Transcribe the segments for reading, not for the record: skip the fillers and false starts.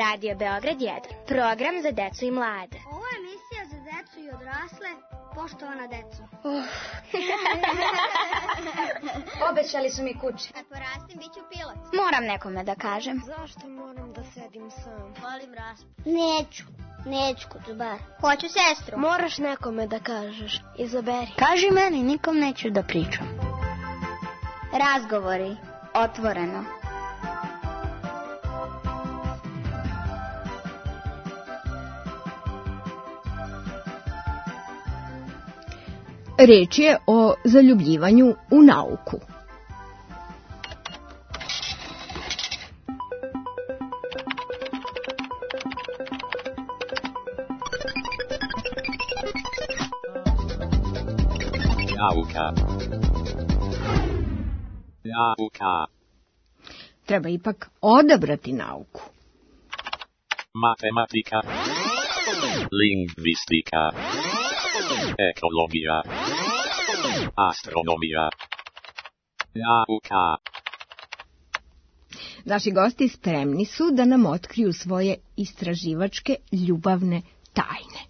Radio Beograd 1, program za decu i mlade. Ovo je emisija za decu i odrasle, poštovana deco. Obećali su mi kuće. Kad porastim, bit ću pilot. Moram nekome da kažem. Zašto moram da sedim sam? Volim raspad. Neću Kuzubar. Hoću sestru. Moraš nekome da kažeš. Izaberi. Kaži meni, nikom neću da pričam. Razgovori, otvoreno. Reč je o zaljubljivanju u nauku. Nauka. Treba ipak odabrati nauku. Matematika. Lingvistika. Ekologija. Astronomija. Nauka. Naši gosti spremni su da nam otkriju svoje istraživačke ljubavne tajne.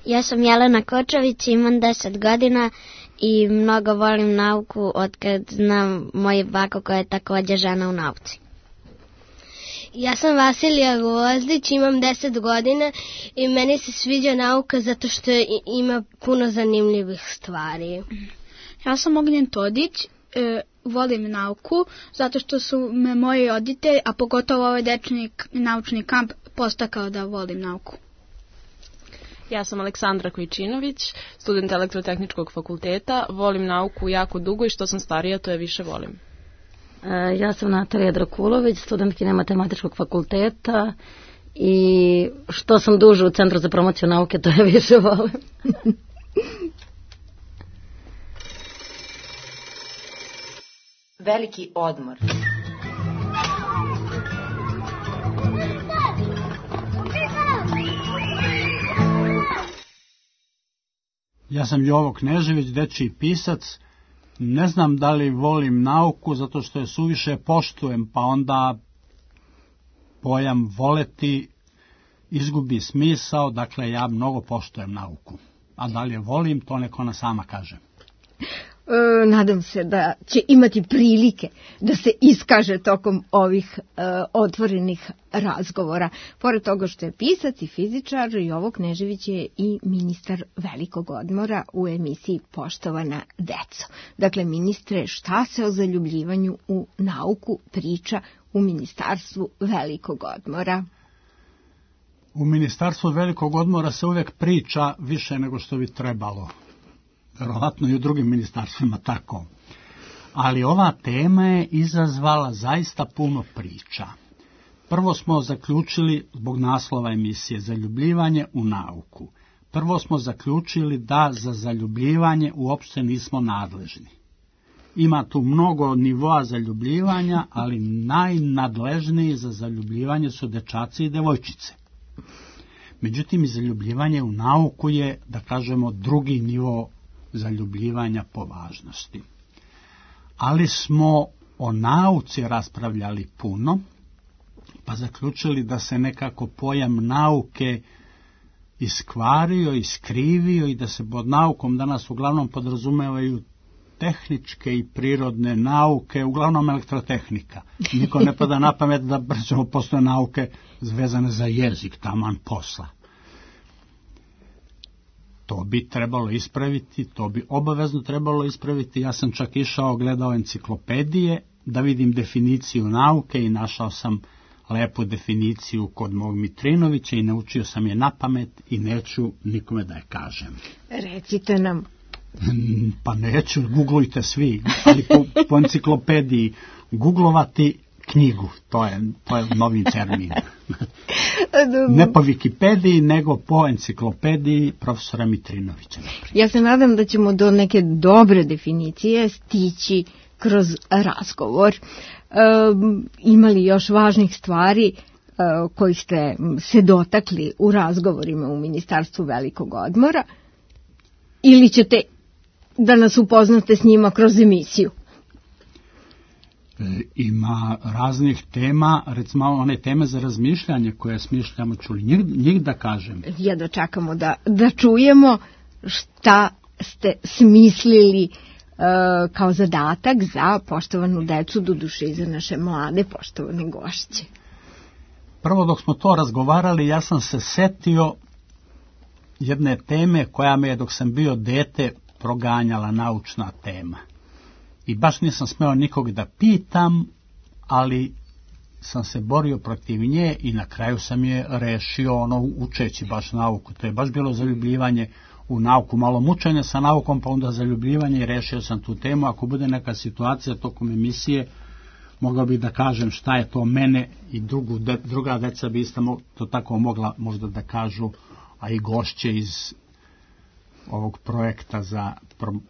Ja sam Jelena Kočović, imam 10 godina i mnogo volim nauku otkad znam moju baku koja je također žena u nauci. Ja sam Vasilija Gvozdić, imam 10 godina i meni se sviđa nauka zato što ima puno zanimljivih stvari. Ja sam Ognjen Todić, volim nauku zato što su me moji roditelji, a pogotovo ovaj dečni naučni kamp, postakao da volim nauku. Ja sam Aleksandra Kojčinović, student Elektrotehničkog fakulteta, volim nauku jako dugo i što sam starija to je više volim. Ja sam Natalija Drakulović, studentkinja Matematičkog fakulteta i što sam duže u Centru za promociju nauke, to je više volim. Veliki odmor. Ja sam Jovo Knežević, dečiji pisac. Ne znam da li volim nauku zato što je suviše poštujem, pa onda pojam voleti izgubi smisao, dakle ja mnogo poštujem nauku. A da li je volim, to neko ona sama kaže. Nadam se da će imati prilike da se iskaže tokom ovih otvorenih razgovora. Pored toga što je pisac i fizičar, Jovo Knežević je i ministar velikog odmora u emisiji Poštovana deco. Dakle, ministre, šta se o zaljubljivanju u nauku priča u Ministarstvu velikog odmora? U Ministarstvu velikog odmora se uvijek priča više nego što bi trebalo. Verovatno i u drugim ministarstvima tako. Ali ova tema je izazvala zaista puno priča. Prvo smo zaključili, zbog naslova emisije, zaljubljivanje u nauku. Prvo smo zaključili da za zaljubljivanje uopšte nismo nadležni. Ima tu mnogo nivoa zaljubljivanja, ali najnadležniji za zaljubljivanje su dečaci i devojčice. Međutim, zaljubljivanje u nauku je, da kažemo, drugi nivo zaljubljivanja po važnosti. Ali smo o nauci raspravljali puno, pa zaključili da se nekako pojam nauke iskvario, iskrivio i da se pod naukom danas uglavnom podrazumevaju tehničke i prirodne nauke, uglavnom elektrotehnika. Niko ne pada na pamet da postoje nauke vezane za jezik, taman posla. To bi trebalo ispraviti, to bi obavezno trebalo ispraviti. Ja sam čak išao, gledao enciklopedije da vidim definiciju nauke i našao sam lepu definiciju kod mog Mitrinovića i naučio sam je na pamet i neću nikome da je kažem. Recite nam. Pa neću, googlujte svi, ali po enciklopediji googlovati knjigu, to je novi termin. Ne po Wikipediji, nego po enciklopediji profesora Mitrinovića. Ja se nadam da ćemo do neke dobre definicije stići kroz razgovor. Ima li još važnih stvari kojih ste se dotakli u razgovorima u Ministarstvu velikog odmora? Ili ćete da nas upoznate s njima kroz emisiju? Ima raznih tema, recimo one teme za razmišljanje koje smišljamo, čuli njih da kažem. Jedva čekamo da čujemo šta ste smislili kao zadatak za poštovanu decu, doduše i za naše mlade poštovane gošće. Prvo dok smo to razgovarali, ja sam se setio jedne teme koja me je dok sam bio dete proganjala, naučna tema. I baš nisam smeo nikog da pitam, ali sam se borio protiv nje i na kraju sam je rešio učeći baš nauku. To je baš bilo zaljubljivanje u nauku, malo mučenje sa naukom, pa onda zaljubljivanje i rešio sam tu temu. Ako bude neka situacija tokom emisije, mogao bih da kažem šta je to mene i druga deca bi isto to tako mogla možda da kažu, a i gošće iz ovog projekta za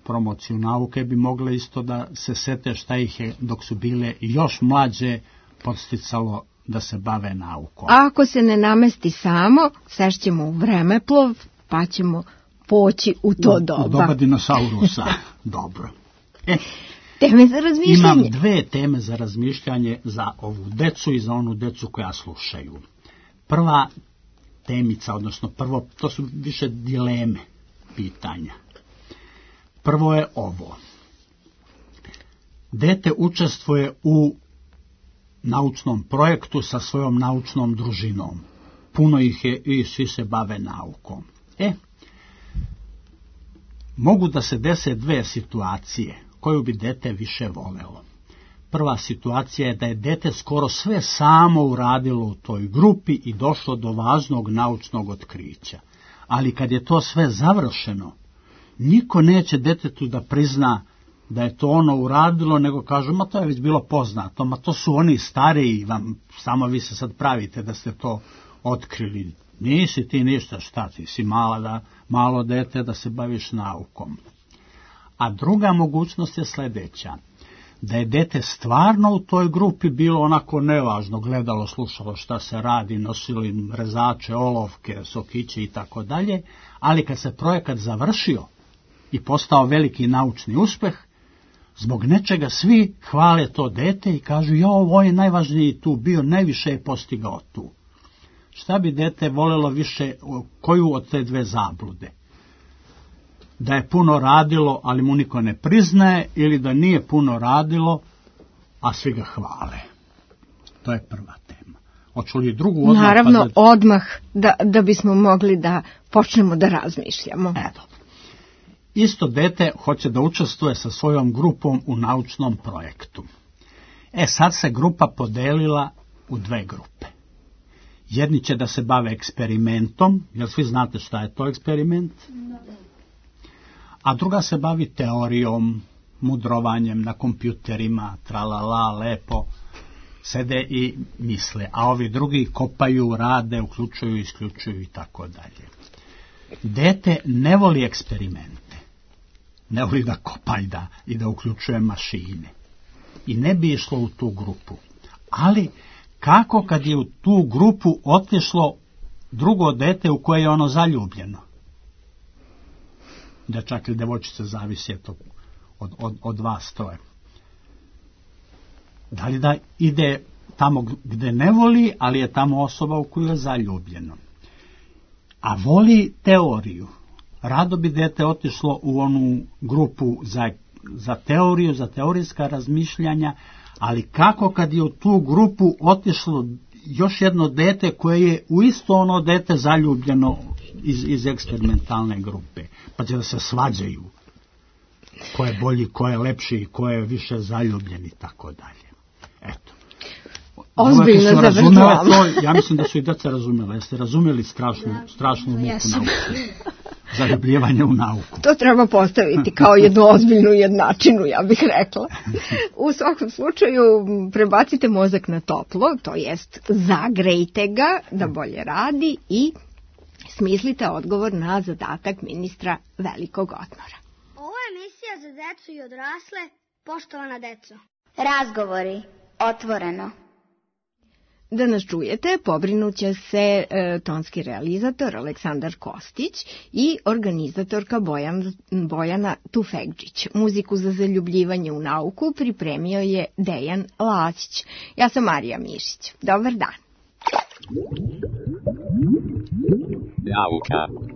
promociju nauke bi mogle isto da se sete šta ih je dok su bile još mlađe podsticalo da se bave naukom. A ako se ne namesti samo, sešćemo u vremeplov, pa ćemo poći u to doba. U doba dinosaurusa. Dobro. Teme za razmišljanje. Imam 2 teme za razmišljanje za ovu decu i za onu decu koja slušaju. Prva temica, odnosno prvo, to su više dileme, pitanja. Prvo je ovo. Dete učestvuje u naučnom projektu sa svojom naučnom družinom. Puno ih je i svi se bave naukom. Mogu da se dese 2 situacije koju bi dete više volelo. Prva situacija je da je dete skoro sve samo uradilo u toj grupi i došlo do važnog naučnog otkrića. Ali kad je to sve završeno, niko neće detetu da prizna da je to ono uradilo, nego kažu, ma to je već bilo poznato, ma to su oni stariji, samo vi se sad pravite da ste to otkrili. Nisi ti ništa, šta ti si malo dete da se baviš naukom. A druga mogućnost je sljedeća, da je dete stvarno u toj grupi bilo onako nevažno, gledalo, slušalo šta se radi, nosili rezače, olovke, sokiće i tako dalje, ali kad se projekat završio i postao veliki naučni uspeh, zbog nečega svi hvale to dete i kažu, ovo je najvažniji tu bio, najviše je postigao tu. Šta bi dete voljelo više, koju od te 2 zablude? Da je puno radilo, ali mu niko ne priznaje, ili da nije puno radilo, a svi ga hvale? To je prva tema. Hoću li drugu odmah? Naravno, odmah, da bismo mogli da počnemo da razmišljamo. Isto dete hoće da učestvuje sa svojom grupom u naučnom projektu. Sad se grupa podelila u 2 grupe. Jedni će da se bave eksperimentom, jer svi znate šta je to eksperiment? A druga se bavi teorijom, mudrovanjem na kompjuterima, tralala, lepo, sede i misle. A ovi drugi kopaju, rade, uključuju, isključuju i tako dalje. Dete ne voli eksperimente, ne voli da kopa i da uključuje mašine. I ne bi išlo u tu grupu. Ali kako kad je u tu grupu otišlo drugo dete u koje je ono zaljubljeno? Dečak ili devojčica, zavisi to od vas troje. Da li da ide tamo gde ne voli, ali je tamo osoba u koju je zaljubljeno. A voli teoriju. Rado bi dete otišlo u onu grupu za teoriju, za teorijska razmišljanja, ali kako kad je u tu grupu otišlo još jedno dete koje je u isto ono dete zaljubljeno iz eksperimentalne grupe, pa će da se svađaju ko je bolji, ko je lepši, ko je više zaljubljen i tako dalje. Eto. Ozbiljno završavamo. Ja mislim da su i deca razumela. Jeste razumeli strašnu muku nauku? Zaljubljivanje u nauku. To treba postaviti kao jednu ozbiljnu jednačinu, ja bih rekla. U svakom slučaju prebacite mozak na toplo, to jest zagrejte ga da bolje radi i smislite odgovor na zadatak ministra velikog odmora. Ovo je emisija za decu i odrasle, poštovana deco. Razgovori, otvoreno. da nas čujete, pobrinuće se tonski realizator Aleksandar Kostić i organizatorka Bojana Tufekđić. Muziku za zaljubljivanje u nauku pripremio je Dejan Lacić. Ja sam Marija Mišić. Dobar dan. Nauka.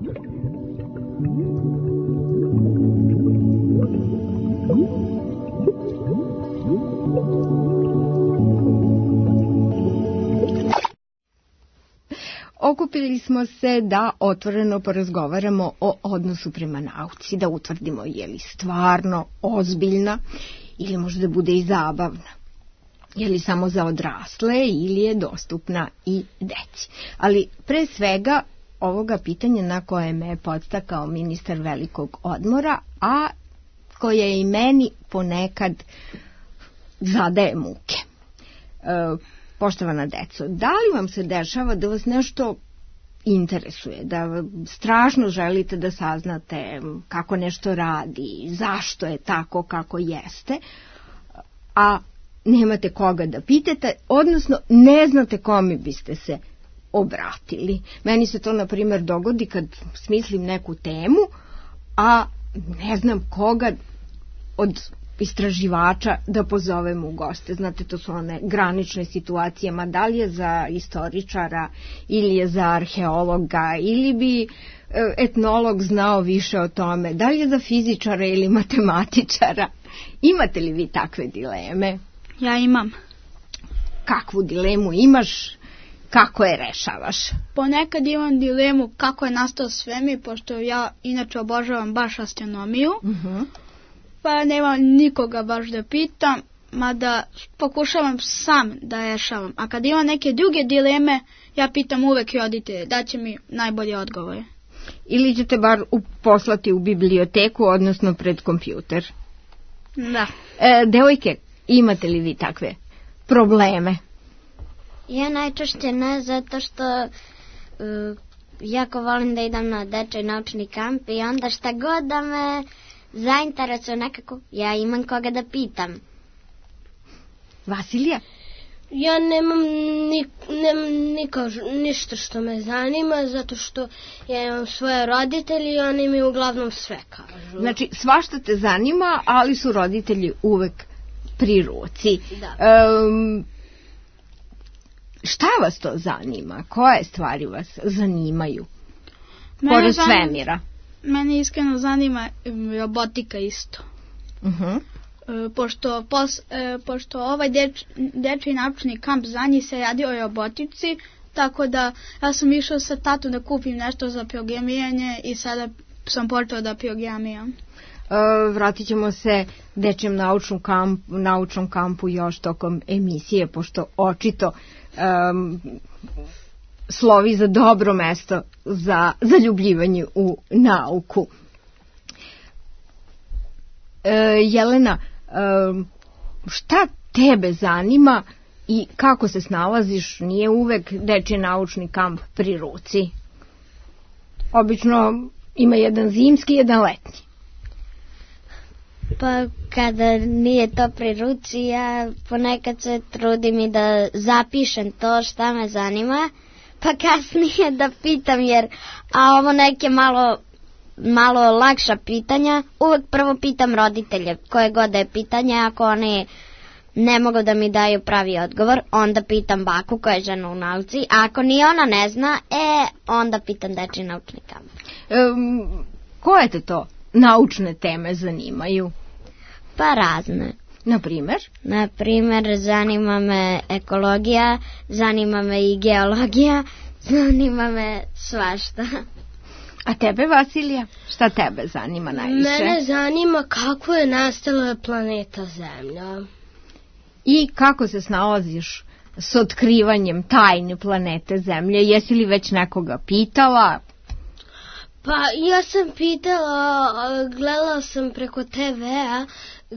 Okupili smo se da otvoreno porazgovaramo o odnosu prema nauci, da utvrdimo je li stvarno ozbiljna ili možda bude i zabavna. Je li samo za odrasle ili je dostupna i deci. Ali pre svega ovoga pitanja na koje me je podstakao ministar velikog odmora, a koje je i meni ponekad zadaje muke. Poštovana deco, da li vam se dešava da vas nešto interesuje, da strašno želite da saznate kako nešto radi, zašto je tako kako jeste, a nemate koga da pitate, odnosno ne znate kome biste se obratili. Meni se to, na primjer, dogodi kad smislim neku temu, a ne znam koga od istraživača da pozovem u goste. Znate, to su one granične situacije, ma da li je za istoričara ili je za arheologa ili bi etnolog znao više o tome, da li je za fizičara ili matematičara. Imate li vi takve dileme? Ja imam. Kakvu dilemu imaš? Kako je rešavaš? Ponekad imam dilemu kako je nastao svemir, pošto ja inače obožavam baš astronomiju. Pa nema nikoga baš da pitam, mada pokušavam sam da rešavam. A kad imam neke druge dileme, ja pitam uvek roditelje, da će mi najbolje odgovore. Ili ćete bar poslati u biblioteku, odnosno pred kompjuter? Da. Devojke, imate li vi takve probleme? Ja najčešće ne, zato što jako volim da idem na dečji naučni kamp i onda šta god da me zainteresuje nekako, ja imam koga da pitam. Vasilija? Ja nemam ništa što me zanima, zato što ja imam svoje roditelji i oni mi uglavnom sve kažu. Znači, svašta te zanima, ali su roditelji uvek pri ruci. Da. Šta vas to zanima? Koje stvari vas zanimaju? Pored svemira. Mene iskreno zanima robotika isto. Pošto ovaj dečji naučni kamp za njih se radi o robotici, tako da ja sam išao sa tatom da kupim nešto za programiranje i sada sam počeo da programiram. Vratit ćemo se dečjem naučnom kampu još tokom emisije, pošto očito slovi za dobro mesto za zaljubljivanje u nauku. Jelena, šta tebe zanima i kako se snalaziš? Nije uvek dečji naučni kamp pri ruci. Obično ima jedan zimski i jedan letnji. Pa kada nije to pri ruci, ja ponekad se trudim i da zapišem to šta me zanima, pa kasnije da pitam, a ovo neke malo lakša pitanja, uvek prvo pitam roditelje koje god je pitanje, ako oni ne mogu da mi daju pravi odgovor, onda pitam baku koja je žena u nauci, a ako ni ona ne zna, onda pitam dečji naučni kamp. Koje te to naučne teme zanimaju? Pa razne. Na primer, zanima me ekologija, zanima me i geologija, zanima me svašta. A tebe, Vasilija? Šta tebe zanima najviše? Mene zanima kako je nastala planeta Zemlja. I kako se snalaziš s otkrivanjem tajne planete Zemlje? Jesi li već nekoga pitala? Pa ja sam pitala, gledala sam preko TV-a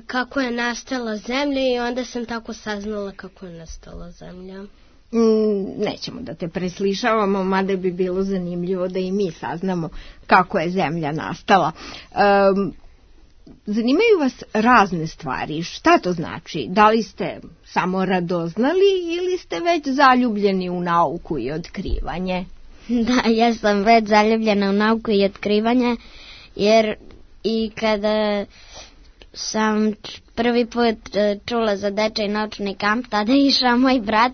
kako je nastala Zemlja i onda sam tako saznala kako je nastala Zemlja. Nećemo da te preslišavamo, mada bi bilo zanimljivo da i mi saznamo kako je Zemlja nastala. zanimaju vas razne stvari. Šta to znači? Da li ste samo radoznali ili ste već zaljubljeni u nauku i otkrivanje? Da, ja sam već zaljubljena u nauku i otkrivanje, jer i kada sam prvi put čula za dečiji naučni kamp, tada je išao moj brat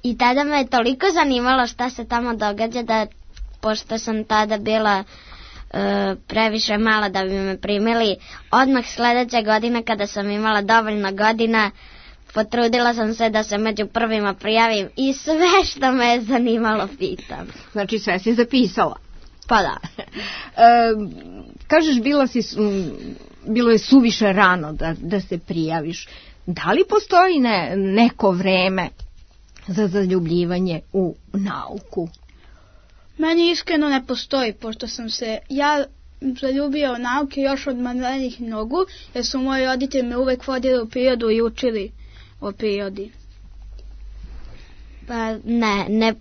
i tada me je toliko zanimalo šta se tamo događa da, pošto sam tada bila previše mala da bi me primili, odmah sledeće godine kada sam imala dovoljno godina, potrudila sam se da se među prvima prijavim i sve što me je zanimalo pitam. Znači sve si zapisala? Pa da. Kažeš bilo je suviše rano da se prijaviš. Da li postoji neko vreme za zaljubljivanje u nauku? Meni iskreno ne postoji, pošto sam se ja zaljubio u nauke još od malenih nogu, jer su moji roditelji me uvek vodili u prirodu i učili o prirodi. Pa ne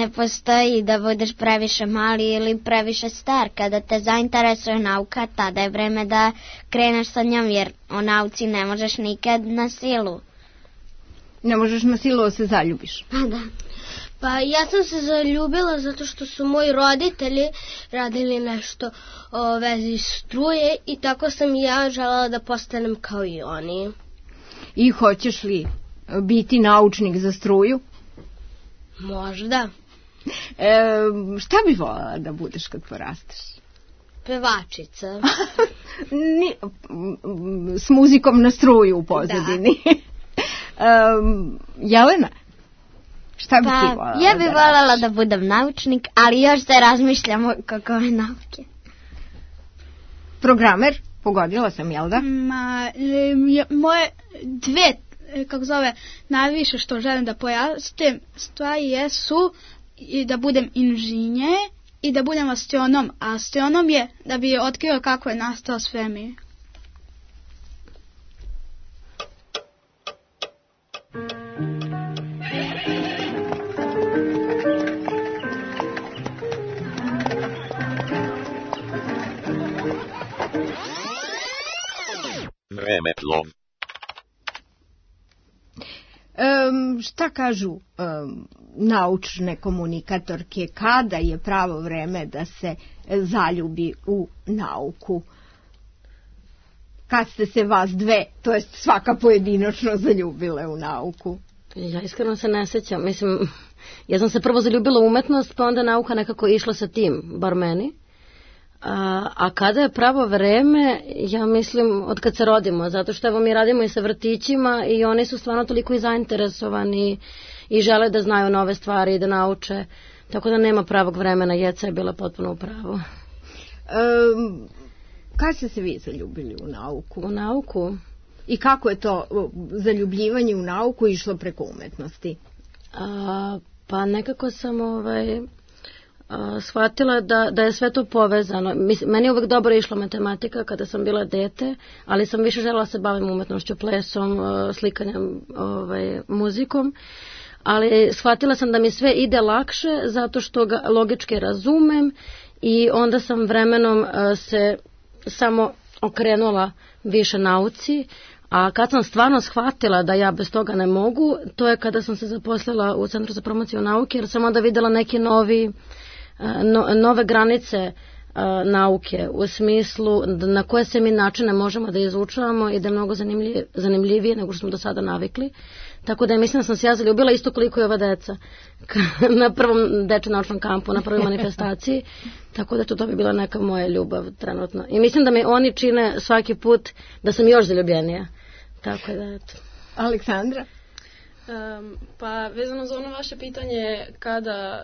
postoji da budeš previše mali ili previše star. Kada te zainteresuje nauka, tada je vreme da kreneš sa njom, jer o nauci ne možeš nikad na silu. Ne možeš na silu da se zaljubiš? Pa da. Pa ja sam se zaljubila zato što su moji roditelji radili nešto o vezi struje i tako sam ja želela da postanem kao i oni. I hoćeš li biti naučnik za struju? Možda. Šta bi voljela da budeš kad porasteš? Pevačica. S muzikom na struju u pozadini. Jelena? Šta bi ti voljela? Ja bi voljela da budem naučnik, ali još se razmišljam o kakove nauke. Programer? Pogodila sam, jel da? Moje dve, najviše što želim da porastem stvari jesu i da budem inženjer i da budem astronom. A astronom je da bi otkrio kako je nastao svemir. Vremeplov. Šta kažu naučne komunikatorke, kada je pravo vreme da se zaljubi u nauku? Kad ste se vas dve, to jest svaka pojedinačno, zaljubile u nauku? Ja iskreno se ne sećam. Mislim, ja sam se prvo zaljubila u umetnost, pa onda nauka nekako išla sa tim, bar meni. A kada je pravo vreme, ja mislim od kad se rodimo, zato što evo mi radimo i sa vrtićima i oni su stvarno toliko i zainteresovani i žele da znaju nove stvari i da nauče, tako da nema pravog vremena. Jeca je bila potpuno u pravu. Kad ste se vi zaljubili u nauku? U nauku? I kako je to zaljubljivanje u nauku išlo preko umetnosti? Pa nekako sam shvatila da je sve to povezano. Meni je uvek dobro išla matematika kada sam bila dete, ali sam više želela se bavim umetnošću, plesom, slikanjem, muzikom. Ali shvatila sam da mi sve ide lakše zato što ga logički razumem i onda sam vremenom se samo okrenula više nauci. A kad sam stvarno shvatila da ja bez toga ne mogu, to je kada sam se zaposlila u Centru za promociju nauke, jer sam onda videla neke nove granice nauke, u smislu na koje se mi načine možemo da izučavamo i da je mnogo zanimljivije nego što smo do sada navikli. Tako da mislim da sam se ja zaljubila isto koliko i ova deca na prvom dečjem naučnom kampu, na prvoj manifestaciji. Tako da to bi bila neka moja ljubav trenutno. I mislim da mi oni čine svaki put da sam još zaljubljenija. Tako da, eto. Aleksandra? Pa vezano za ono vaše pitanje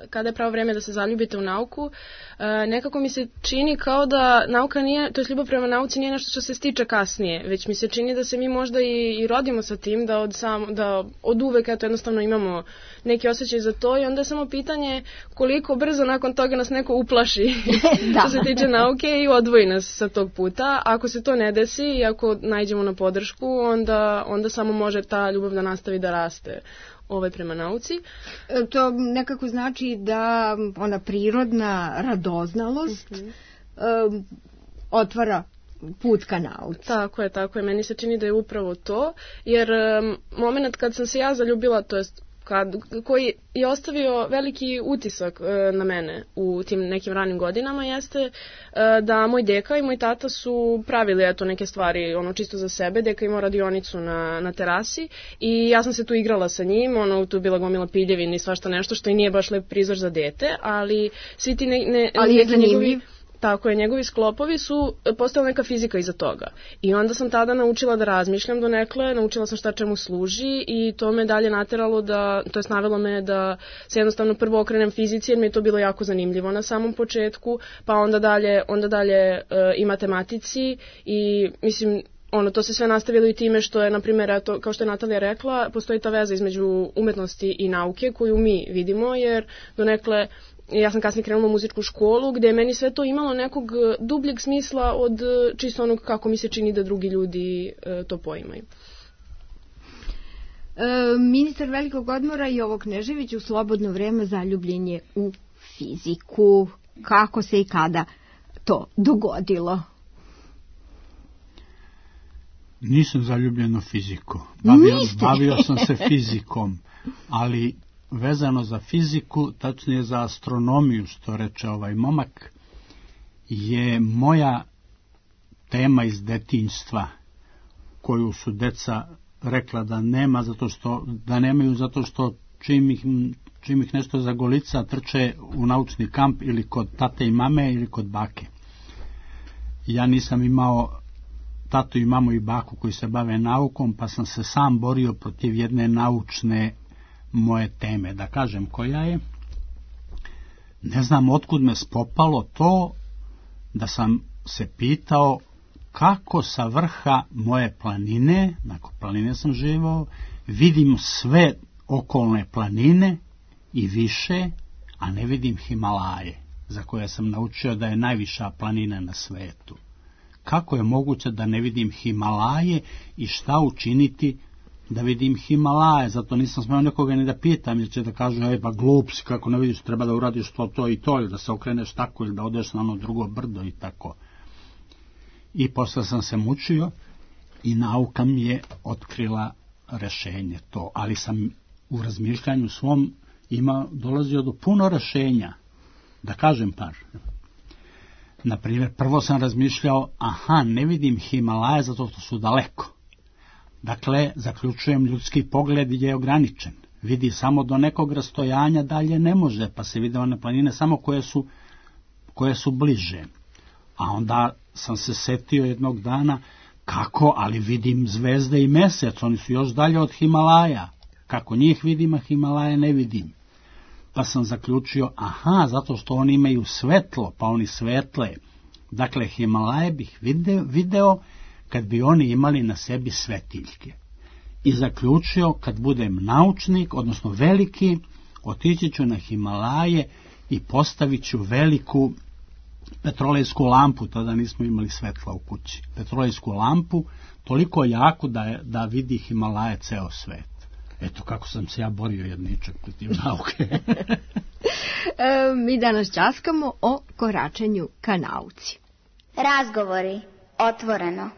kada je pravo vreme da se zaljubite u nauku, nekako mi se čini kao da nauka nije, to je ljubav prema nauci nije nešto što se stiče kasnije, već mi se čini da se mi možda i rodimo sa tim, da od uvek jednostavno imamo neki osjećaj za to i onda je samo pitanje koliko brzo nakon toga nas neko uplaši što se tiče nauke i odvoji nas sa tog puta. Ako se to ne desi i ako naiđemo na podršku, onda samo može ta ljubav da nastavi da raste prema nauci. To nekako znači da ona prirodna radoznalost otvara put ka nauci. Tako je. Meni se čini da je upravo to, jer moment kad sam se ja zaljubila, to jest koji je ostavio veliki utisak na mene u tim nekim ranim godinama, jeste da moj deka i moj tata su pravili neke stvari čisto za sebe. Deka imao radionicu na terasi i ja sam se tu igrala sa njim, tu je bila gomila piljevina i svašta nešto što i nije baš lep prizor za dete, ali svi ti ali je zanimljiv. Tako je, njegovi sklopovi su postala neka fizika iza toga. I onda sam tada naučila da razmišljam donekle, naučila sam šta čemu služi i to me dalje nateralo to jest navelo me da se jednostavno prvo okrenem fizici, jer mi je to bilo jako zanimljivo na samom početku, pa onda dalje i matematici i mislim, to se sve nastavilo i time što je, na primjer, kao što je Natalija rekla, postoji ta veza između umetnosti i nauke koju mi vidimo, jer donekle ja sam kasnije krenula u muzičku školu gde je meni sve to imalo nekog dubljeg smisla od čisto onog kako mi se čini da drugi ljudi to poimaju. Ministar velikog odmora Jovo Knežević u slobodno vreme zaljubljen je u fiziku. Kako se i kada to dogodilo? Nisam zaljubljen u fiziku. Bavio sam se fizikom, ali vezano za fiziku, tačnije za astronomiju, što reče ovaj momak, je moja tema iz detinjstva, koju su deca rekla da nema da nemaju zato što čim ih nešto zagolica trče u naučni kamp ili kod tate i mame ili kod bake. Ja nisam imao tatu i mamu i baku koji se bave naukom, pa sam se sam borio protiv jedne naučne moje teme, da kažem koja je. Ne znam otkud me spopalo to da sam se pitao kako sa vrha moje planine, nakon planine sam živao, vidim sve okolne planine i više, a ne vidim Himalaje, za koje sam naučio da je najviša planina na svetu. Kako je moguće da ne vidim Himalaje i šta učiniti da vidim Himalaje? Zato nisam smeo nekoga ni da pitam, jer će da kažu, pa glup si, kako ne vidiš, treba da uradiš to i to, ili da se okreneš tako, ili da odeš na ono drugo brdo i tako. I posle sam se mučio i nauka mi je otkrila rešenje to, ali sam u razmišljanju svom dolazio do puno rešenja. Da kažem par. Naprimjer, prvo sam razmišljao, ne vidim Himalaje zato što su daleko. Dakle, zaključujem, ljudski pogled je ograničen. Vidi samo do nekog rastojanja, dalje ne može, pa se vide one planine samo koje su bliže. A onda sam se setio jednog dana, kako, ali vidim zvezde i mesec, oni su još dalje od Himalaja. Kako njih vidim, a Himalaje ne vidim. Pa sam zaključio, zato što oni imaju svetlo, pa oni svetle. Dakle, Himalaje bih video kad bi oni imali na sebi svetiljke. I zaključio, kad budem naučnik, odnosno veliki, otići ću na Himalaje i postavit ću veliku petrolejsku lampu, tada nismo imali svetla u kući. Petrolejsku lampu, toliko jaku da vidi Himalaje ceo svet. Eto kako sam se ja borio jedničak protiv nauke. Mi danas ćaskamo o koračenju ka nauci. Razgovori otvoreno.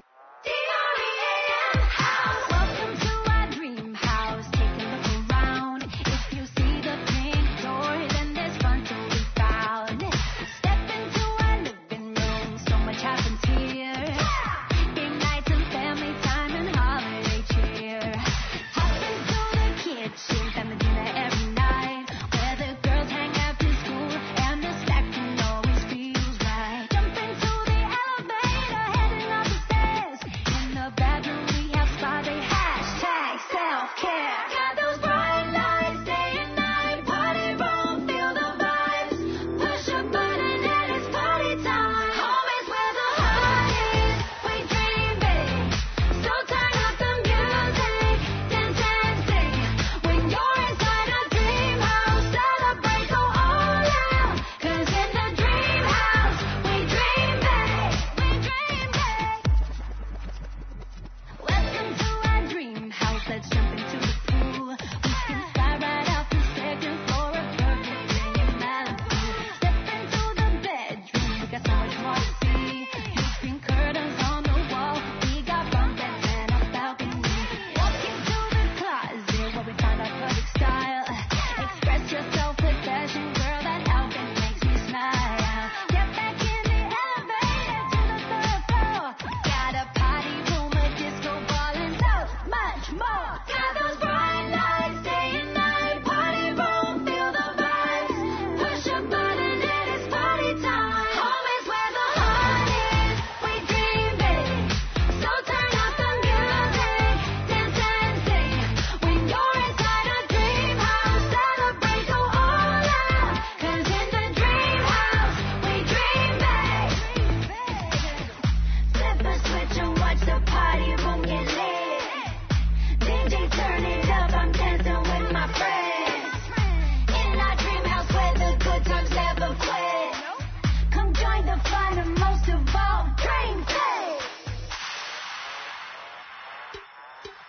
Stairs.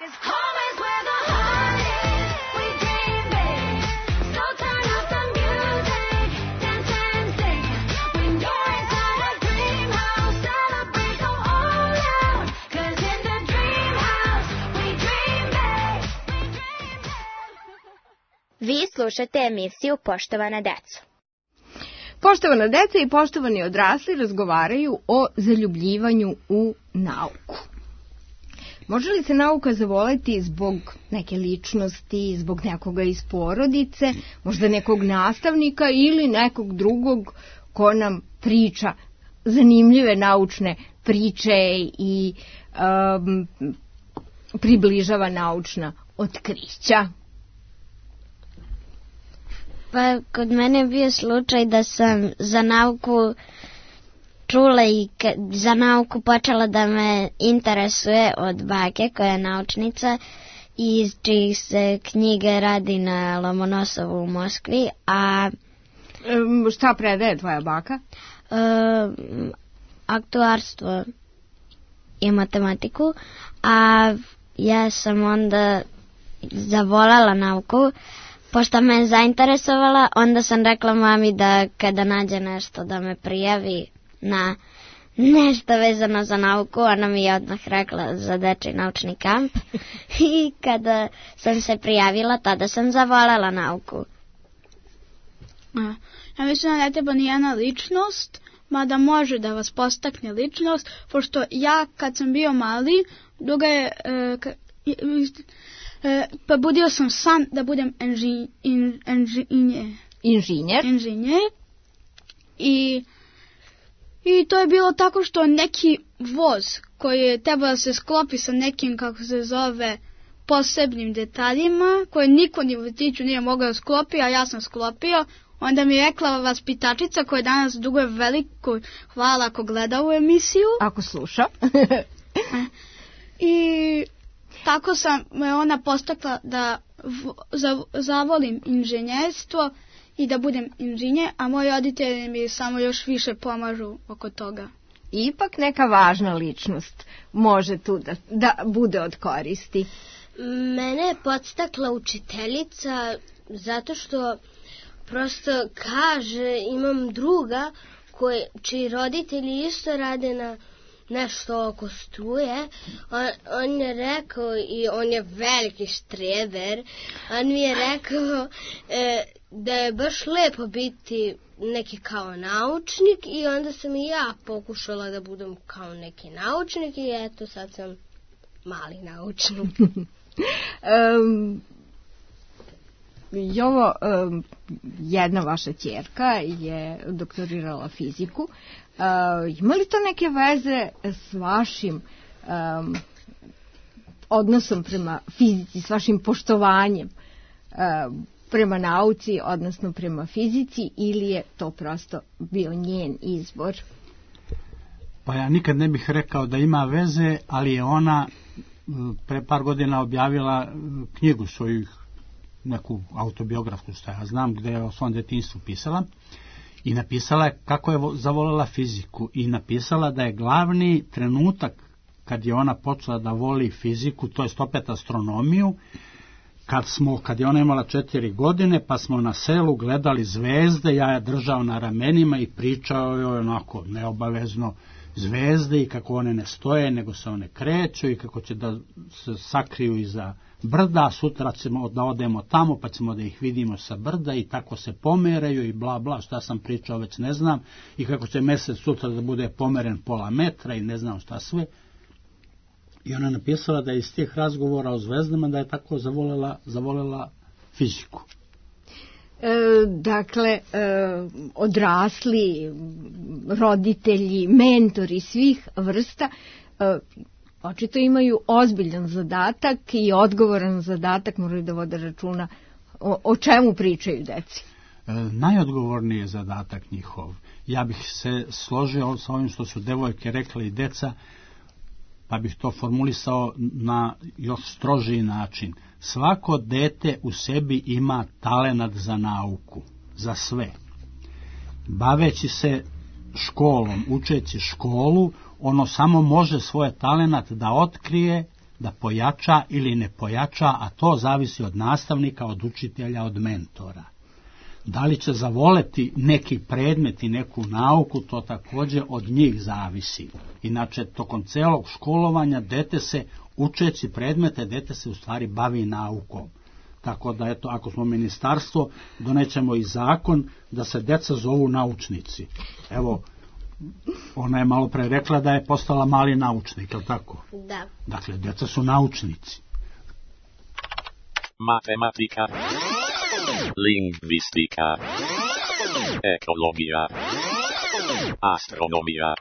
Vi slušate emisiju Poštovana deco. Poštovana deca i poštovani odrasli razgovaraju o zaljubljivanju u nauku. Može li se nauka zavoleti zbog neke ličnosti, zbog nekoga iz porodice, možda nekog nastavnika ili nekog drugog ko nam priča zanimljive naučne priče i približava naučna otkrića? Pa kod mene je bio slučaj da sam za nauku čula i za nauku počela da me interesuje od bake koja je naučnica i iz čijih se knjige radi na Lomonosovu u Moskvi. A šta predaje tvoja baka? Aktuarstvo i matematiku, a ja sam onda zavoljela nauku. Pošto me je zainteresovala, onda sam rekla mami da kada nađe nešto da me prijavi na nešto vezano za nauku, ona mi je odmah rekla za dečji naučni kamp. I kada sam se prijavila, tada sam zavoljela nauku. Ja mislim da ne treba nijena ličnost, mada može da vas postakne ličnost, pošto ja kad sam bio mali, duga je... pa budio sam san da budem inženjer i to je bilo tako što neki voz koji je trebao da se sklopi sa nekim, kako se zove, posebnim detaljima koje niko ni u vrtiću nije mogao da sklopi, a ja sam sklopio. Onda mi je rekla vaspitačica koja danas duguje veliko hvala ako gleda u emisiju, ako sluša. I tako sam me ona postakla da zavolim inženjerstvo i da budem inženjer, a moji roditelji mi samo još više pomažu oko toga. Ipak neka važna ličnost može tu da bude od koristi. Mene je podstakla učiteljica zato što prosto kaže, imam druga čiji roditelji isto rade na nešto oko struje. On je rekao, i on je veliki štreber, on mi je rekao da je baš lepo biti neki kao naučnik i onda sam i ja pokušala da budem kao neki naučnik i eto sad sam mali naučnik. Jovo, jedna vaša ćerka je doktorirala fiziku. Ima li to neke veze s vašim odnosom prema fizici, s vašim poštovanjem prema nauci, odnosno prema fizici, ili je to prosto bio njen izbor? Pa ja nikad ne bih rekao da ima veze, ali je ona pre par godina objavila knjigu svojih, neku autobiografsku, što ja znam, gde je o svom detinjstvu pisala, i napisala je kako je zavoljela fiziku i napisala da je glavni trenutak kad je ona počela da voli fiziku, to jest opet astronomiju, kad je ona imala 4 godine, pa smo na selu gledali zvezde, ja je držao na ramenima i pričao joj onako neobavezno zvezde i kako one ne stoje, nego se one kreću i kako će da se sakriju iza brda, sutra ćemo da odemo tamo pa ćemo da ih vidimo sa brda i tako se pomeraju i bla bla, šta sam pričao već ne znam, i kako će mesec sutra da bude pomeren pola metra i ne znam šta sve. I ona napisala da je iz tih razgovora o zvezdama da je tako zavoljela fiziku. Dakle, odrasli, roditelji, mentori svih vrsta očito imaju ozbiljan zadatak i odgovoran zadatak, moraju da vode računa o čemu pričaju deci. Najodgovorniji je zadatak njihov. Ja bih se složio sa ovim što su devojke rekle i deca, pa bih to formulisao na još strožiji način. Svako dete u sebi ima talenat za nauku, za sve. Baveći se školom, učeći školu, ono samo može svoj talenat da otkrije da pojača ili ne pojača, a to zavisi od nastavnika, od učitelja, od mentora. Da li će zavoleti neki predmet i neku nauku, to također od njih zavisi. Inače, tokom celog školovanja dete se, učeći predmete, dete se u stvari bavi naukom. Tako da, eto, ako smo ministarstvo, donećemo i zakon da se deca zovu naučnici. Evo, ona je malo pre rekla da je postala mali naučnik, je li tako? Da. Dakle, deca su naučnici. Matematika, lingvistika, ekologija, astronomija,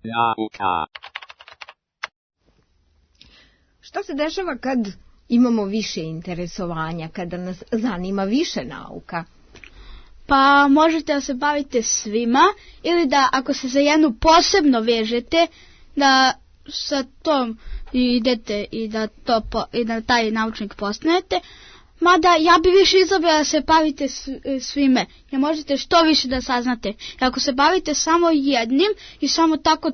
nauka. Šta se dešava kad imamo više interesovanja, kada nas zanima više nauka? Pa možete da se bavite svima ili da ako se za jednu posebno vežete da sa tom idete i da taj naučnik postanete. Mada ja bi više izabrala da se bavite svime, jer možete što više da saznate. I ako se bavite samo jednim i samo tako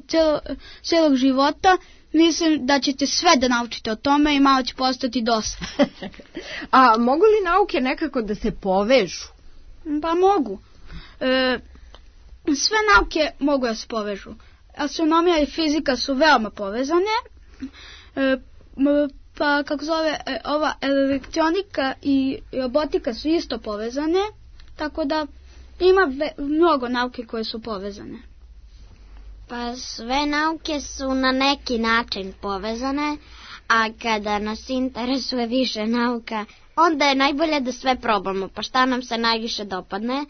celog života, mislim da ćete sve da naučite o tome i malo će postati dosta. A mogu li nauke nekako da se povežu? Pa mogu. Sve nauke mogu da se povežu. Astronomija i fizika su veoma povezane. Pa kako zove, ova elektronika i robotika su isto povezane. Tako da ima mnogo nauke koje su povezane. Pa sve nauke su na neki način povezane, a kada nas interesuje više nauka, onda je najbolje da sve probamo, pa šta nam se najviše dopadne,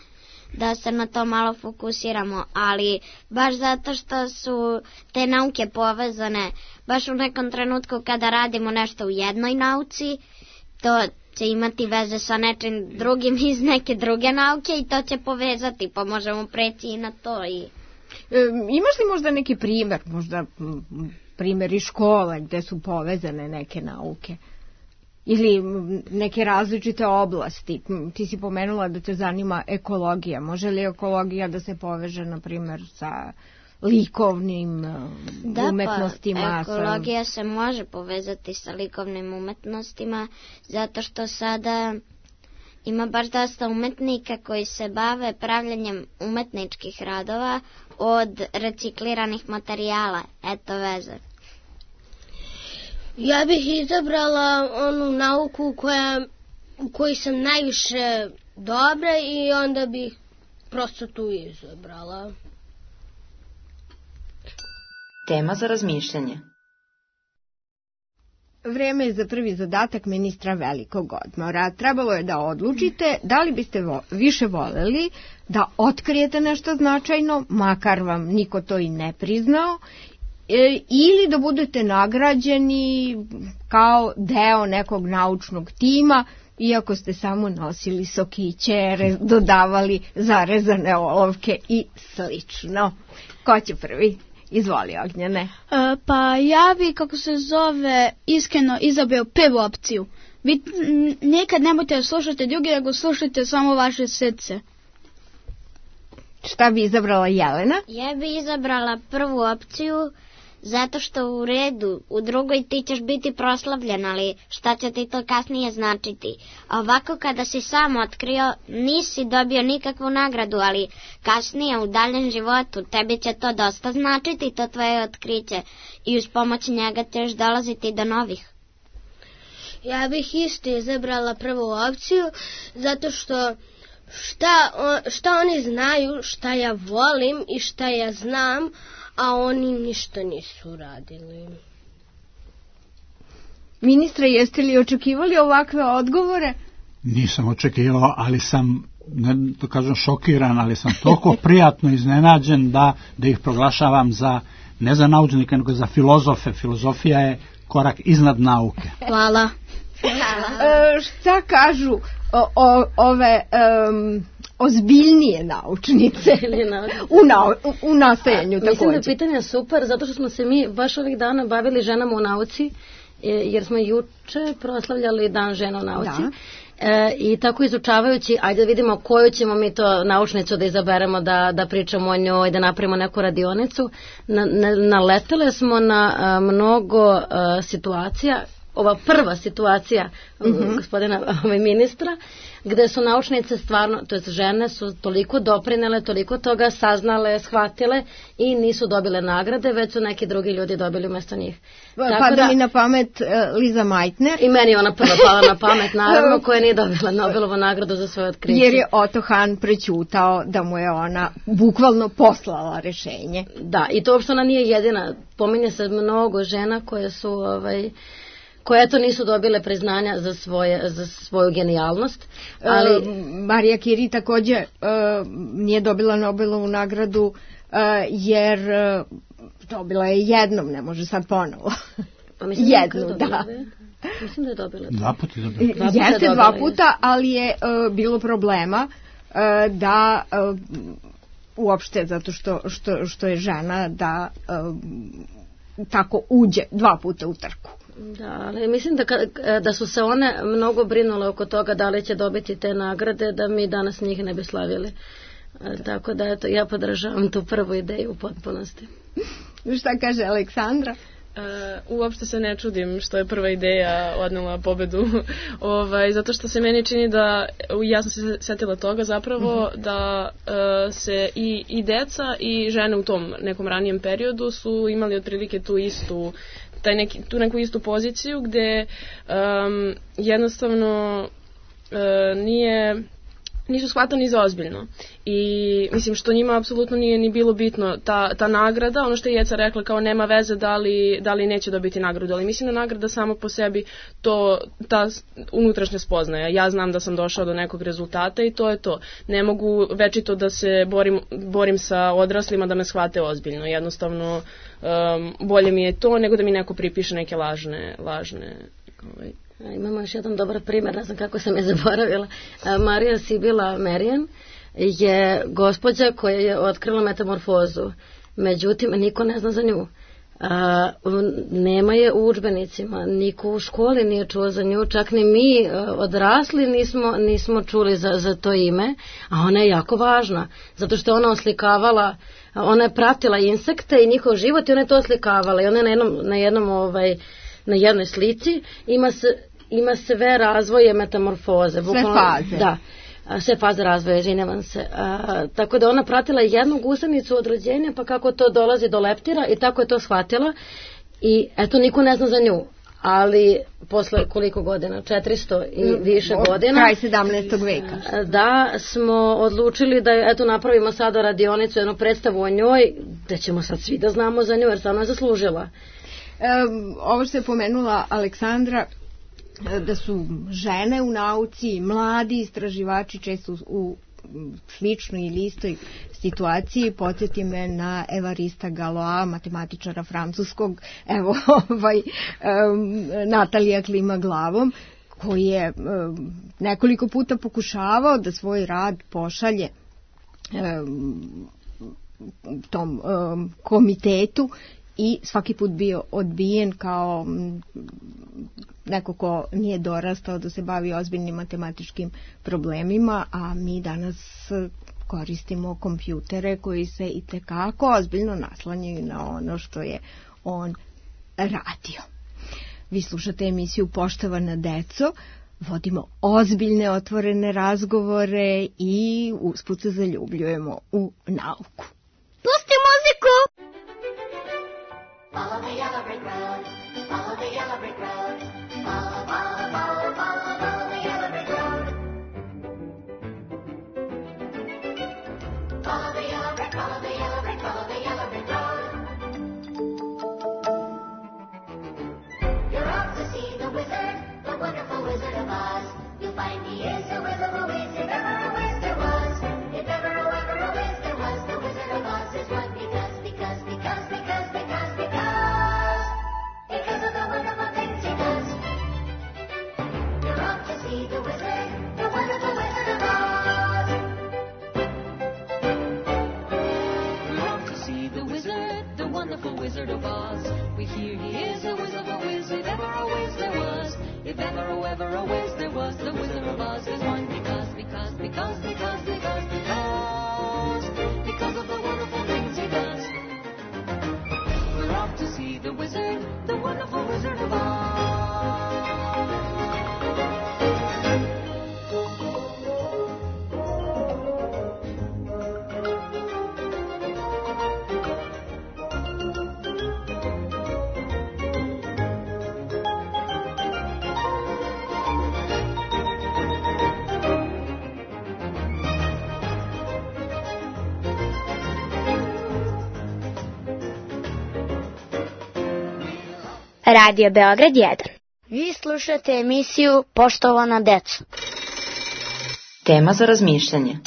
da se na to malo fokusiramo, ali baš zato što su te nauke povezane, baš u nekom trenutku kada radimo nešto u jednoj nauci, to će imati veze sa nečim drugim iz neke druge nauke i to će povezati, pa možemo preći i na to. Imaš li možda neki primjer, možda primjer iz škole gde su povezane neke nauke? Ili neke različite oblasti? Ti si pomenula da te zanima ekologija. Može li ekologija da se poveže, na primjer, sa likovnim umetnostima? Da, ekologija se može povezati sa likovnim umetnostima, zato što sada ima baš dosta umetnika koji se bave pravljanjem umetničkih radova od recikliranih materijala. Eto veze. Ja bih izabrala onu nauku u kojoj sam najviše dobra i onda bih prosto tu izabrala. Tema za razmišljanje. Vreme je za prvi zadatak ministra velikog odmora. Trebalo je da odlučite da li biste više voleli da otkrijete nešto značajno, makar vam niko to i ne priznao, ili da budete nagrađeni kao deo nekog naučnog tima, iako ste samo nosili sokiće, dodavali zarezane olovke i slično. Ko će prvi? Izvoli, Ognjene. Pa ja bi, kako se zove, iskreno izabrao prvu opciju. Vi nekad nemojte da slušate drugi, nego slušajte samo vaše srce. Šta bi izabrala Jelena? Ja bi izabrala prvu opciju, zato što u redu, u drugoj ti ćeš biti proslavljen, ali šta će ti to kasnije značiti? A ovako kada si sam otkrio, nisi dobio nikakvu nagradu, ali kasnije u daljem životu tebi će to dosta značiti, to tvoje otkriće, i uz pomoć njega ćeš dolaziti do novih. Ja bih isto izabrala prvu opciju, zato što šta oni znaju, šta ja volim i šta ja znam, a oni ništa nisu radili. Ministre, jeste li očekivali ovakve odgovore? Nisam očekivao, ali sam, da kažem, šokiran, ali sam toliko prijatno iznenađen da ih proglašavam za, ne za naučnike, nego za filozofe. Filozofija je korak iznad nauke. Hvala. Šta kažu ove ozbiljnije naučnice u nastajanju također? Mislim da je pitanje super, zato što smo se mi baš ovih dana bavili ženama u nauci, jer smo juče proslavljali Dan žena u nauci. I tako izučavajući, ajde da vidimo koju ćemo mi to naučnicu da izaberemo da pričamo o njoj, da napravimo neku radionicu, naletele smo na mnogo situacija. Ova prva situacija gospodina ministra, gde su naučnice stvarno, to jest žene su toliko doprinele, toliko toga saznale, shvatile i nisu dobile nagrade, već su neki drugi ljudi dobili umjesto njih. Pada mi na pamet Liza Meitner. I meni je ona prva pala na pamet, naravno, koja nije dobila Nobelovu nagradu za svoje otkriće. Jer je Otto Hahn prećutao da mu je ona bukvalno poslala rešenje. Da, i to uopšte ona nije jedina. Pominje se mnogo žena koje su koje to nisu dobile priznanja za svoju genijalnost. Ali Marija Curie takođe nije dobila Nobelovu nagradu jer dobila je jednom, ne može sad ponovo. Pa mislim jednu, da. Mislim da je dobila. Dva puta je dobila. Jeste dva puta, ali je bilo problema da uopšte zato što je žena da tako uđe dva puta u trku. Da, ali mislim da su se one mnogo brinule oko toga da li će dobiti te nagrade, da mi danas njih ne bi slavili. Tako da eto, ja podržavam tu prvu ideju u potpunosti. Šta kaže Aleksandra? Uopšte se ne čudim što je prva ideja odnela pobedu, zato što se meni čini da, ja sam se setila toga zapravo, da se i deca i žene u tom nekom ranijem periodu su imali otprilike tu neku istu poziciju gde jednostavno nisu shvatani za ozbiljno. I mislim što njima apsolutno nije ni bilo bitno ta nagrada, ono što je Jeca rekla kao nema veze da li neće dobiti nagradu, ali mislim da nagrada samo po sebi ta unutrašnja spoznaja. Ja znam da sam došao do nekog rezultata i to je to. Ne mogu večito da se borim sa odraslima da me shvate ozbiljno. Jednostavno bolje mi je to nego da mi neko pripiše neke lažne Imamo još jedan dobar primjer, ne znam kako sam je zaboravila. Marija Sibila Merian je gospođa koja je otkrila metamorfozu. Međutim, niko ne zna za nju. Nema je u udžbenicima, niko u školi nije čuo za nju, čak ni mi odrasli nismo čuli za to ime, a ona je jako važna, zato što ona oslikavala, ona je pratila insekte i njihov život i ona je to oslikavala i ona je na jednoj slici ima sve razvoje metamorfoze. Sve faze. Da, sve faze razvoja, izvinjavam se. Tako da ona pratila jednu gusenicu od rođenja, pa kako to dolazi do leptira i tako je to shvatila. I eto, niko ne zna za nju. Ali posle koliko godina? 400 i više godina. Kraj 17. veka. Da, smo odlučili da eto napravimo sada radionicu, jednu predstavu o njoj, da ćemo sad svi da znamo za nju, jer stvarno je zaslužila. Ovo što je pomenula Aleksandra, da su žene u nauci, mladi istraživači često u sličnoj ili istoj situaciji. Podsjeti me na Evarista Galois, matematičara francuskog, evo Natalija klima glavom, koji je nekoliko puta pokušavao da svoj rad pošalje tom komitetu i svaki put bio odbijen kao neko ko nije dorastao da se bavi ozbiljnim matematičkim problemima, a mi danas koristimo kompjutere koji se itekako ozbiljno naslanjaju na ono što je on radio. Vi slušate emisiju Poštovana deco, vodimo ozbiljne otvorene razgovore i usput se zaljubljujemo u nauku. Pusti muziku! Follow the yellow brick road, follow the yellow brick road, follow, follow, follow, follow, follow the yellow brick road. Follow the yellow brick, follow the yellow brick, follow the yellow brick road. You're off to see the wizard, the wonderful Wizard of Oz. You'll find he is a whiz of a whiz, if ever a whiz there was. If ever a whiz there was, the Wizard of Oz is one because of the wonderful things he does. You're off to see the wizard, the wonderful Wizard of Oz. We're off to see the wizard, the wonderful Wizard of Oz. We hear he is a whiz of a whiz, if ever a whiz there was. If ever a whiz there was, the Wizard of Oz because of the wonderful things he does. We're off to see the wizard, the wonderful Wizard of Oz. Radio Beograd 1. Vi slušate emisiju Poštovana deco. Tema za razmišljanje.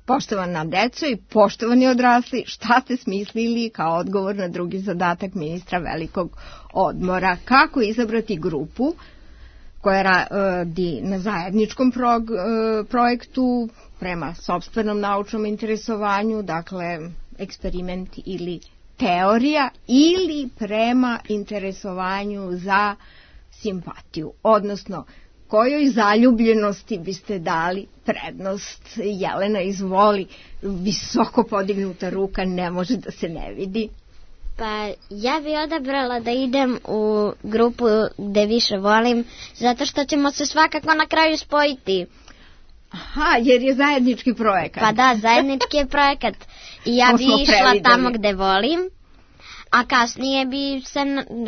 Poštovana deco i poštovani odrasli, šta ste smislili kao odgovor na drugi zadatak ministra velikog odmora? Kako izabrati grupu koja radi na zajedničkom projektu prema sopstvenom naučnom interesovanju, dakle eksperiment ili teorija, ili prema interesovanju za simpatiju, odnosno kojoj zaljubljenosti biste dali prednost? Jelena, izvoli, visoko podignuta ruka, ne može da se ne vidi. Pa ja bi odabrala da idem u grupu gde više volim, zato što ćemo se svakako na kraju spojiti. Aha, jer je zajednički projekat. Pa da, zajednički je projekat. I ja bi išla tamo gde volim, a kasnije bi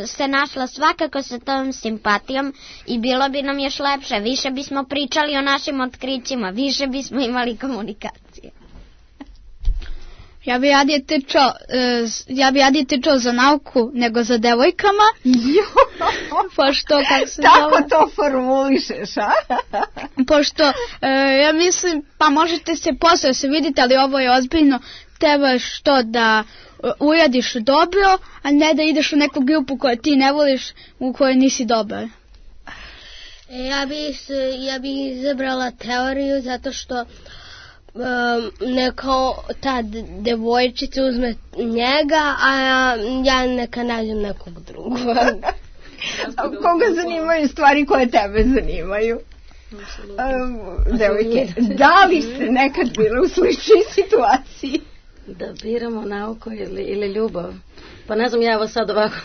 se našla svakako sa tom simpatijom i bilo bi nam još lepše. Više bismo pričali o našim otkrićima, više bismo imali komunikacije. Ja bi radije tečao za nauku nego za devojkama. Pošto, kako se tako to formulišeš, a? Pošto, ja mislim, pa možete se posle se vidite, ali ovo je ozbiljno, trebaš to da uradiš dobro, a ne da ideš u neku grupu koju ti ne voliš, u kojoj nisi dobar. Ja bi izabrala teoriju zato što neko ta devojčica uzme njega, a ja neka nađem nekog drugog. Koga zanimaju stvari koje tebe zanimaju? Devojke, da li ste nekad bile u sličnoj situaciji? Da biramo nauku ili ljubav. Pa ne znam, ja evo sad ovako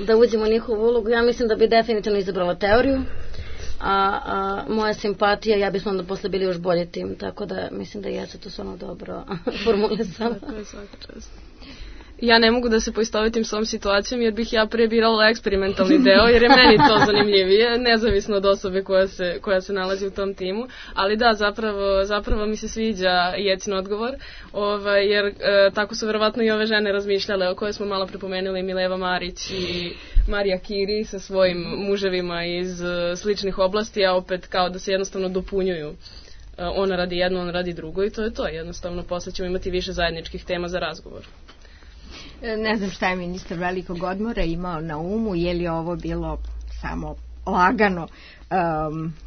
da uđemo u njihovu ulogu, ja mislim da bi definitivno izabrala teoriju, a moja simpatija, ja bismo onda posle bili još bolji tim, tako da mislim da jesu to stvarno dobro formulisala. Ja ne mogu da se poistovetim s ovom situacijom jer bih ja pre birala eksperimentalni deo jer je meni to zanimljivije, nezavisno od osobe koja se nalazi u tom timu, ali da, zapravo mi se sviđa Jecin odgovor, jer tako su verovatno i ove žene razmišljale o koje smo malo prepomenuli, Mileva Marić i Marija Kiri sa svojim muževima iz sličnih oblasti, a opet kao da se jednostavno dopunjuju. Ona radi jedno, on radi drugo i to je to, jednostavno posle ćemo imati više zajedničkih tema za razgovor. Ne znam šta je ministar velikog odmora imao na umu, je li ovo bilo samo lagano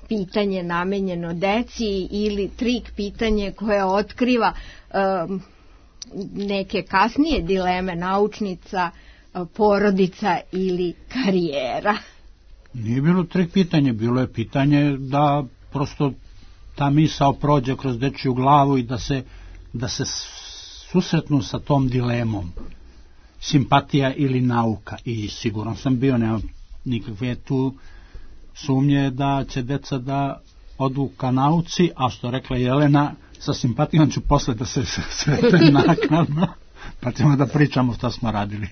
pitanje namenjeno deci ili trik pitanje koje otkriva neke kasnije dileme naučnica, porodica ili karijera. Nije bilo trik pitanje, bilo je pitanje da prosto ta misao prođe kroz dečiju glavu i da se susretnu sa tom dilemom. Simpatija ili nauka, i siguran sam bio, nema nikakve tu sumnje da će deca da odu ka nauci, a što rekla Jelena, sa simpatijom ću posle da se sretem naknadno, pa ćemo da pričamo šta smo radili.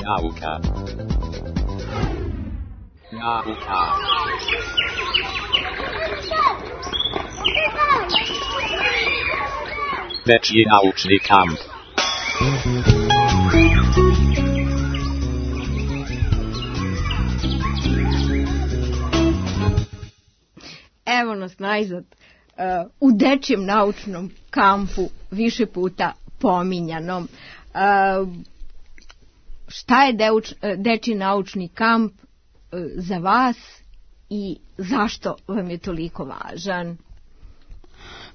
Nauka. Dečji naučni kamp. Evo nas najzad u dečjem naučnom kampu, više puta pominjanom. Šta je dečji naučni kamp za vas i zašto vam je toliko važan?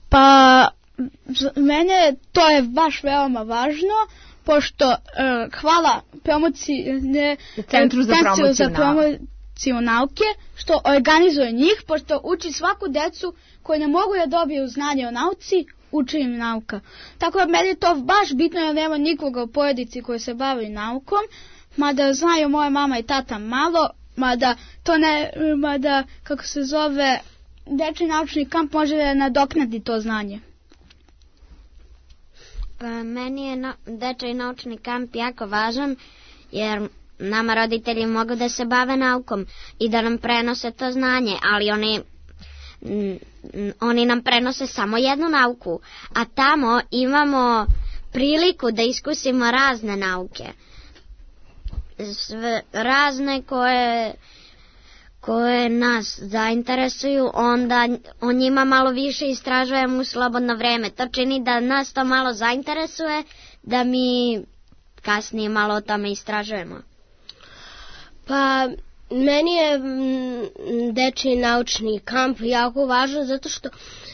Pa mene to je baš veoma važno, pošto hvala Centru za promociju nauke, što organizuje njih, pošto uči svaku decu koji ne mogu da dobiju znanje o nauci, uči im nauka. Tako da meni je to baš bitno, jer nema nikoga u porodici koji se bavi naukom, mada znaju moja mama i tata malo, mada kako se zove, dečiji naučni kamp može da nadoknadi to znanje. Meni je dečiji naučni kamp jako važan, jer nama roditelji mogu da se bave naukom i da nam prenose to znanje, ali oni nam prenose samo jednu nauku, a tamo imamo priliku da iskusimo razne nauke. Razne koje nas zainteresuju, onda o njima malo više istražujemo u slobodno vreme. To čini da nas to malo zainteresuje, da mi kasnije malo o tome istražujemo. Pa meni je dečiji naučni kamp jako važan zato što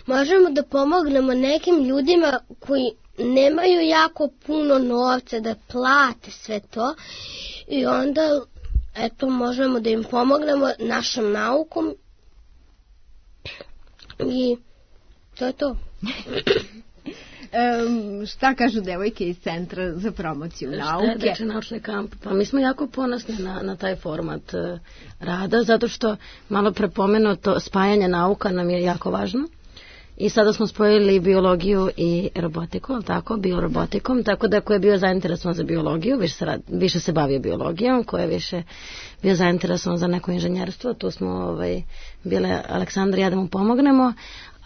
možemo da pomognemo nekim ljudima koji nemaju jako puno novca da plate sve to i onda možemo da im pomognemo našom naukom i to je to. Šta kažu devojke iz Centra za promociju nauke? Dečiji naučni kamp. Pa mi smo jako ponosni na taj format rada, zato što malo prepomenuto spajanje nauka nam je jako važno. I sada smo spojili biologiju i robotiku, biorobotikom, tako da ko je bio zainteresovan za biologiju, više se bavio biologijom, ko je više bio zainteresovan za neko inženjerstvo, tu smo bile Aleksandra i ja da mu pomognemo,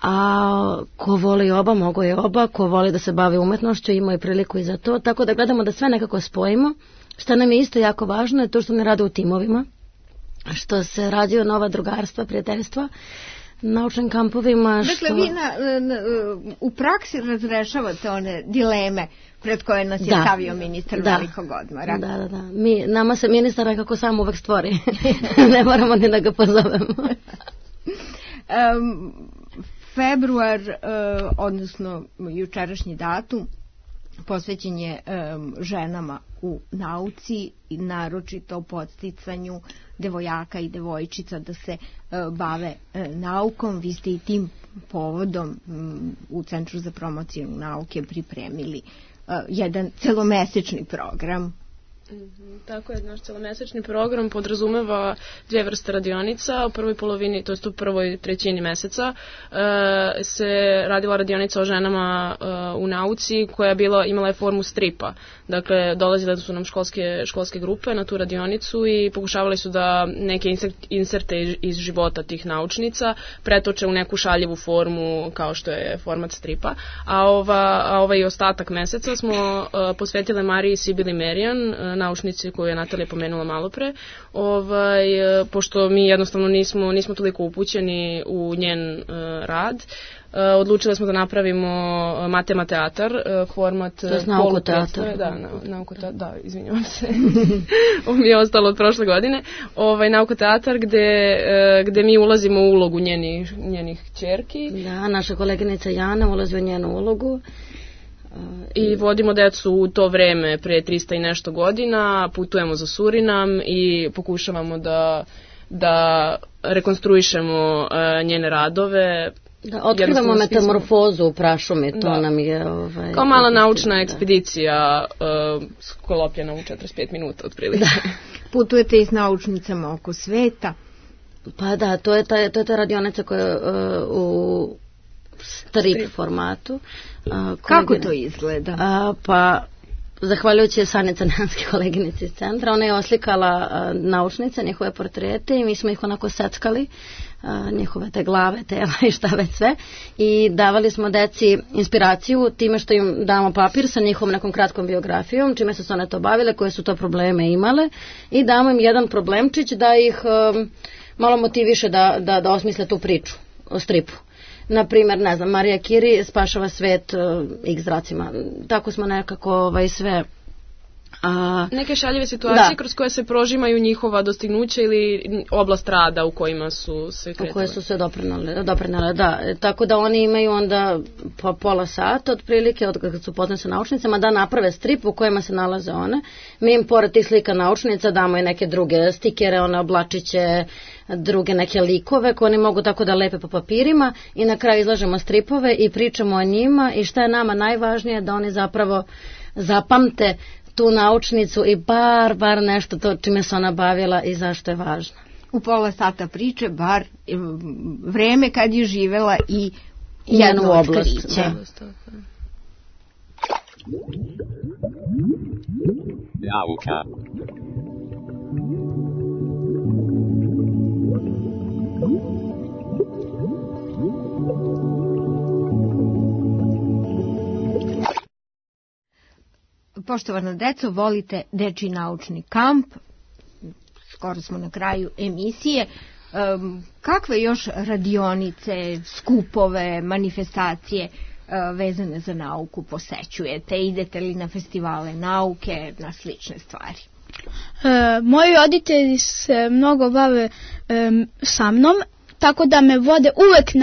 a ko voli oba, mogo je oba, ko voli da se bavi umetnošću, imao je priliku i za to, tako da gledamo da sve nekako spojimo. Šta nam je isto jako važno je to što ne rade u timovima, što se rađaju nova drugarstva, prijateljstva, naučnim kampovima. Dakle, vi u praksi razrešavate one dileme pred koje nas je stavio ministar velikog odmora. Da. Nama se ministar nekako sam uvek stvori. Ne moramo ni da ga pozovemo. Februar, odnosno jučerašnji datum, posvećen je ženama u nauci i naročito podsticanju devojaka i devojčica da se bave naukom. Vi ste i tim povodom u Centru za promociju nauke pripremili jedan celomesečni program. Tako je, naš celomesečni program podrazumeva 2 vrste radionica. U prvoj polovini, to jest u prvoj trećini meseca, se radila radionica o ženama u nauci koja je imala je formu stripa. Dakle, dolazile su nam školske grupe na tu radionicu i pokušavali su da neke inserte iz života tih naučnica pretoče u neku šaljivu formu kao što je format stripa. A ovaj ostatak meseca smo posvetile Mariji Sibili Merijan, naučnici koju je Natalija pomenula malo pre, pošto mi jednostavno nismo toliko upućeni u njen rad. Odlučili smo da napravimo matemateatar, format naukoteatar. Da, izvinjavam se. Ovo mi je ostalo od prošle godine. Naukoteatar gde mi ulazimo u ulogu njenih ćerki. Da, naša koleginica Jana ulazi u njenu ulogu. I vodimo decu u to vreme pre 300 i nešto godina, putujemo za Surinam i pokušavamo da rekonstruišemo njene radove. Da, otkrivamo metamorfozu u prašumi, to nam je... Kao mala naučna ekspedicija sklopljena u 45 minuta otprilike. Putujete i s naučnicama oko sveta. Pa da, to je ta radionica koja je u strip formatu. Kako to izgleda? Pa, zahvaljujući Sani Crnjanski, koleginici iz centra, ona je oslikala naučnice, njihove portrete i mi smo ih onako seckali, njihove te glave, tela i šta već sve, i davali smo deci inspiraciju time što im damo papir sa njihovom nekom kratkom biografijom, čime su se one to bavile, koje su to probleme imale, i damo im jedan problemčić da ih malo motiviše da osmisle tu priču o stripu. Naprimjer, ne znam, Marija Kiri spašava svet X zracima. Tako smo nekako sve Neke šaljive situacije kroz koje se prožimaju njihova dostignuća ili oblast rada u kojima su se kretale. U koje su se doprinale, da. Tako da oni imaju onda po pola sata otprilike od kad su upoznani sa naučnicama da naprave strip u kojima se nalaze one. Mi im pored tih slika naučnica damo i neke druge stikere, one oblačiće, druge neke likove koje oni mogu tako da lepe po papirima i na kraju izlažemo stripove i pričamo o njima i šta je nama najvažnije da oni zapravo zapamte tu naučnicu i bar nešto to čime se ona bavila i zašto je važna. U pola sata priče bar vreme kad je živela i jedno otkriće. Nauka. Poštovana deco, volite Dečiji naučni kamp, skoro smo na kraju emisije. Kakve još radionice, skupove, manifestacije vezane za nauku posećujete? Idete li na festivale nauke, na slične stvari? Moji roditelji se mnogo bave sa mnom, tako da me vode uvek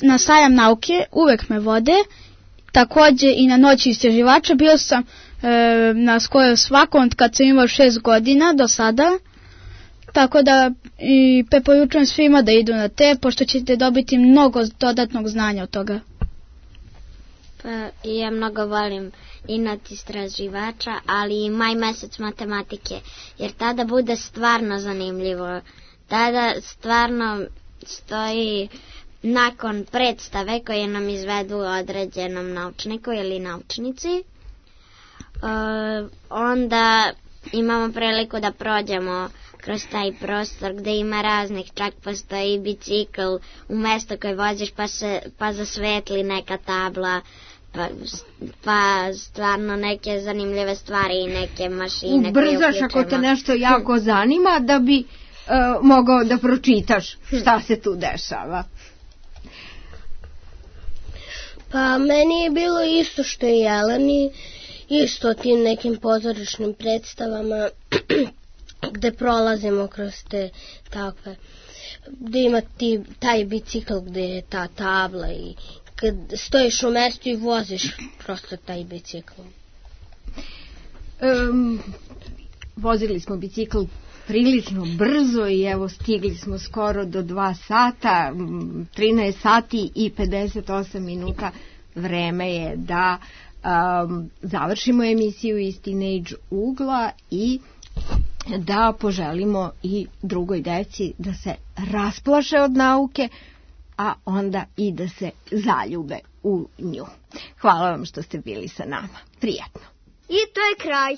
na sajam nauke, uvek me vode. Takođe i na noći istraživača bio sam na skoro svakom kad sam imao 6 godina do sada. Tako da i preporučujem svima da idu na te, pošto ćete dobiti mnogo dodatnog znanja od toga. Pa ja mnogo volim inat istraživača, ali i maj mesec matematike, jer tada bude stvarno zanimljivo. Tada stvarno stoji nakon predstave koje nam izvedu određenom naučniku ili naučnici, onda imamo priliku da prođemo kroz taj prostor gde ima raznih, čak postoji bicikl u mesto koje voziš pa zasvetli neka tabla, pa stvarno neke zanimljive stvari i neke mašine. Ubrzaš ako te nešto jako zanima da bi mogao da pročitaš šta se tu dešava. Pa meni je bilo isto što i Jeleni, isto tim nekim pozorišnim predstavama gde prolazimo kroz te takve, gde ima taj bicikl gde je ta tabla i kad stojiš u mestu i voziš prosto taj bicikl. Vozili smo bicikl prilično brzo i evo stigli smo skoro do 2 sata, 13 sati i 58 minuta. Vreme je da završimo emisiju iz Teenage ugla i da poželimo i drugoj deci da se rasplaše od nauke, a onda i da se zaljube u nju. Hvala vam što ste bili sa nama. Prijatno. I to je kraj.